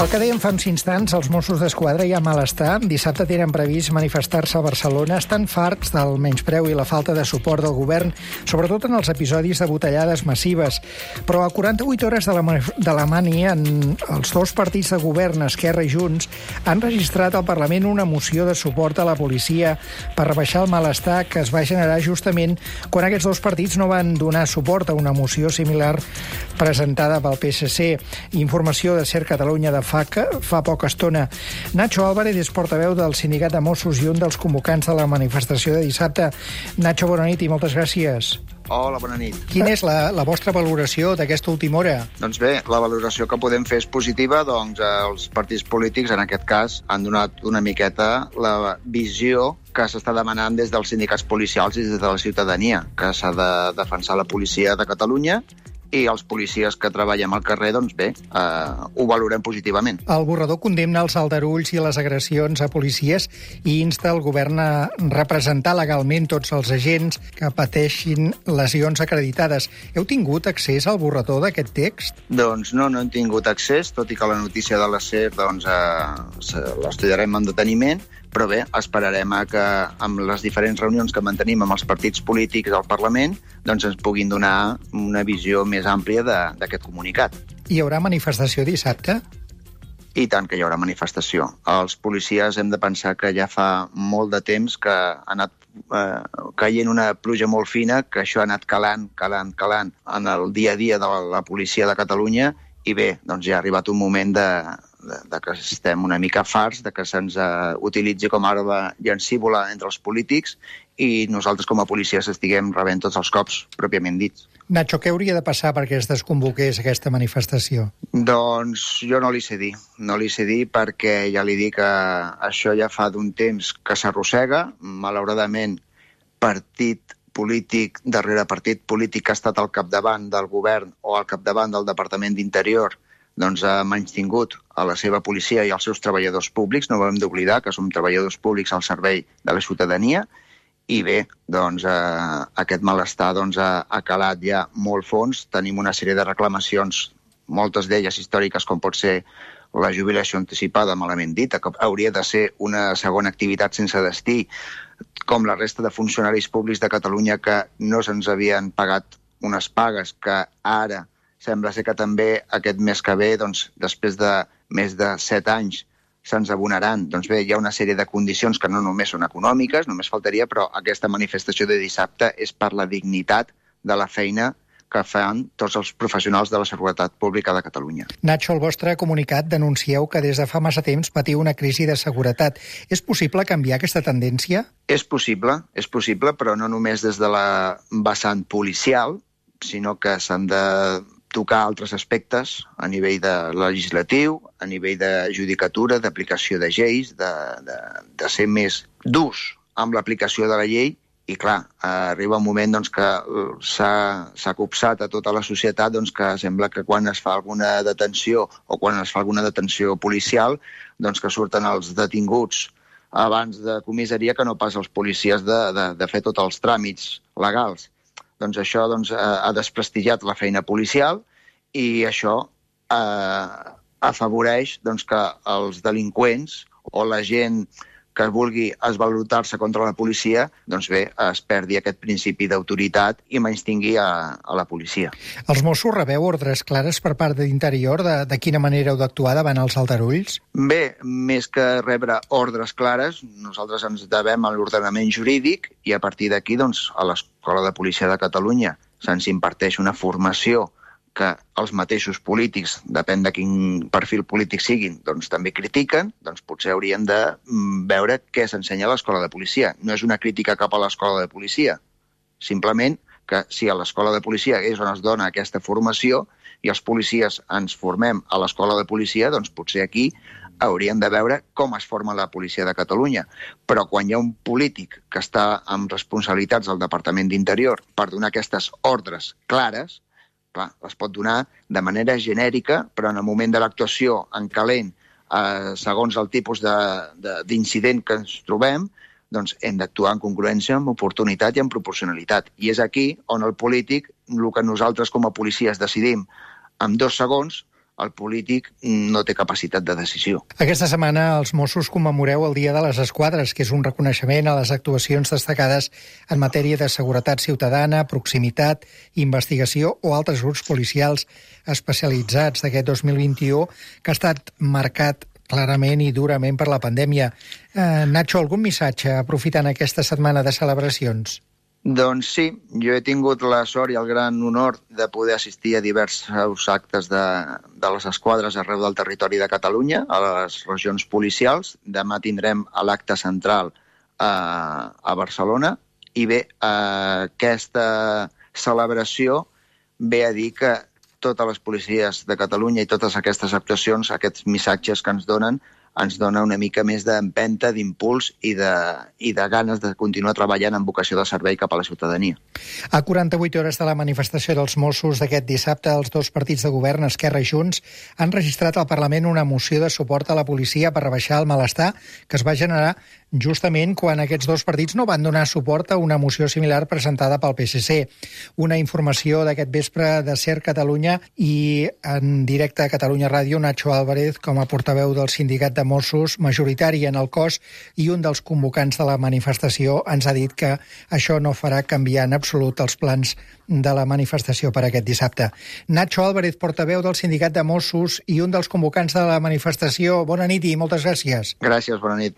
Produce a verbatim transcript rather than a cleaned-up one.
El que dèiem fa uns instants, els Mossos d'Esquadra hi ha malestar. Dissabte tenen previst manifestar-se a Barcelona. Estan farts del menyspreu i la falta de suport del govern, sobretot en els episodis de botellades massives. Però a quaranta-vuit hores de la, de la mani, en els dos partits de govern, Esquerra i Junts, han registrat al Parlament una moció de suport a la policia per rebaixar el malestar que es va generar justament quan aquests dos partits no van donar suport a una moció similar presentada pel P S C. Informació de Ser Catalunya de F A C fa poca estona. Nacho Álvarez és portaveu del sindicat de Mossos i un dels convocants de la manifestació de dissabte. Nacho, bona nit i moltes gràcies. Hola, bona nit. Quina és la, la vostra valoració d'aquesta última hora? Doncs bé, la valoració que podem fer és positiva, doncs els partits polítics, en aquest cas, han donat una miqueta la visió que s'està demanant des dels sindicats policials i des de la ciutadania, que s'ha de defensar la policia de Catalunya, i els policies que treballem al carrer, doncs bé, eh, ho valorem positivament. El borrador condemna els aldarulls i les agressions a policies i insta el govern a representar legalment tots els agents que pateixin lesions acreditades. Heu tingut accés al borrador d'aquest text? Doncs no, no hem tingut accés, tot i que la notícia de la SER doncs, eh, l'estudiarem amb deteniment, però bé, esperarem a que amb les diferents reunions que mantenim amb els partits polítics del Parlament doncs ens puguin donar una visió més àmplia d'aquest comunicat. Hi haurà manifestació dissabte? I tant que hi haurà manifestació. Els policies hem de pensar que ja fa molt de temps que ha anat eh, caient una pluja molt fina, que això ha anat calant, calant, calant en el dia a dia de la policia de Catalunya, i bé, doncs ja ha arribat un moment de, de, de que estem una mica farts, de que se'ns uh, utilitzi com a arma llancívola entre els polítics i nosaltres com a policies estiguem rebent tots els cops pròpiament dits. Nacho, què hauria de passar perquè es desconvoqués aquesta manifestació? Doncs jo no li sé dir. No li sé dir perquè ja li dic que això ja fa d'un temps que s'arrossega. Malauradament, partit polític, darrere partit polític que ha estat al capdavant del govern o al capdavant del Departament d'Interior, doncs ha menystingut a la seva policia i als seus treballadors públics. No ho hem d'oblidar que som treballadors públics al servei de la ciutadania. I bé, doncs, eh, aquest malestar doncs, ha, ha calat ja molt fons. Tenim una sèrie de reclamacions, moltes d'elles històriques, com pot ser la jubilació anticipada, malament dita, que hauria de ser una segona activitat sense destí, com la resta de funcionaris públics de Catalunya que no se'ns havien pagat unes pagues que ara sembla ser que també aquest mes que ve, doncs, després de més de set anys, se'ns abonaran. Doncs bé, hi ha una sèrie de condicions que no només són econòmiques, només faltaria, però aquesta manifestació de dissabte és per la dignitat de la feina que fan tots els professionals de la seguretat pública de Catalunya. Nacho, al vostre comunicat denuncieu que des de fa massa temps patiu una crisi de seguretat. És possible canviar aquesta tendència? És possible, és possible, però no només des de la vessant policial, sinó que s'han de tocar altres aspectes a nivell de legislatiu, a nivell de judicatura, d'aplicació de lleis, de, de, de ser més durs amb l'aplicació de la llei. I clar, arriba un moment doncs, que s'ha copsat a tota la societat doncs, que sembla que quan es fa alguna detenció o quan es fa alguna detenció policial, doncs, que surten els detinguts abans de comissaria que no pas els policies de, de, de fer tots els tràmits legals. Doncs això doncs, ha desprestigiat la feina policial i això eh, afavoreix doncs, que els delinqüents o la gent que vulgui esvalotar-se contra la policia, doncs bé, es perdi aquest principi d'autoritat i menystingui a, a la policia. Els Mossos rebeu ordres clares per part de l'Interior de, de quina manera heu d'actuar davant els aldarulls? Bé, més que rebre ordres clares, nosaltres ens devem a l'ordenament jurídic i a partir d'aquí, doncs, a l'Escola de Policia de Catalunya se'ns imparteix una formació que els mateixos polítics, depèn de quin perfil polític siguin, doncs també critiquen, doncs potser hauríem de veure què s'ensenya a l'Escola de Policia. No és una crítica cap a l'Escola de Policia, simplement que si a l'Escola de Policia és on es dona aquesta formació i els policies ens formem a l'Escola de Policia, doncs potser aquí hauríem de veure com es forma la policia de Catalunya. Però quan hi ha un polític que està amb responsabilitats del Departament d'Interior per donar aquestes ordres clares, clar, les pot donar de manera genèrica, però en el moment de l'actuació en calent, eh, segons el tipus d'incident que ens trobem, doncs hem d'actuar en congruència, amb oportunitat i en proporcionalitat. I és aquí on el polític, el que nosaltres com a policies decidim en dos segons, el polític no té capacitat de decisió. Aquesta setmana els Mossos commemoreu el Dia de les Esquadres, que és un reconeixement a les actuacions destacades en matèria de seguretat ciutadana, proximitat, investigació o altres grups policials especialitzats d'aquest dos mil vint-i-u, que ha estat marcat clarament i durament per la pandèmia. Eh, Nacho, algun missatge aprofitant aquesta setmana de celebracions? Doncs sí, jo he tingut la sort i el gran honor de poder assistir a diversos actes de, de les esquadres arreu del territori de Catalunya, a les regions policials. Demà tindrem l'acte central a, a Barcelona i bé, aquesta celebració ve a dir que totes les policies de Catalunya i totes aquestes actuacions, aquests missatges que ens donen, ens dona una mica més d'empenta, d'impuls i de, i de ganes de continuar treballant en vocació de servei cap a la ciutadania. A quaranta-vuit hores de la manifestació dels Mossos d'aquest dissabte, els dos partits de govern, Esquerra i Junts, han registrat al Parlament una moció de suport a la policia per rebaixar el malestar que es va generar justament quan aquests dos partits no van donar suport a una moció similar presentada pel P S C. Una informació d'aquest vespre de SER Catalunya i en directe a Catalunya Ràdio, Nacho Álvarez, com a portaveu del sindicat de Mossos, majoritari en el cos i un dels convocants de la manifestació, ens ha dit que això no farà canviar en absolut els plans de la manifestació per aquest dissabte. Nacho Álvarez, portaveu del sindicat de Mossos i un dels convocants de la manifestació. Bona nit i moltes gràcies. Gràcies, bona nit.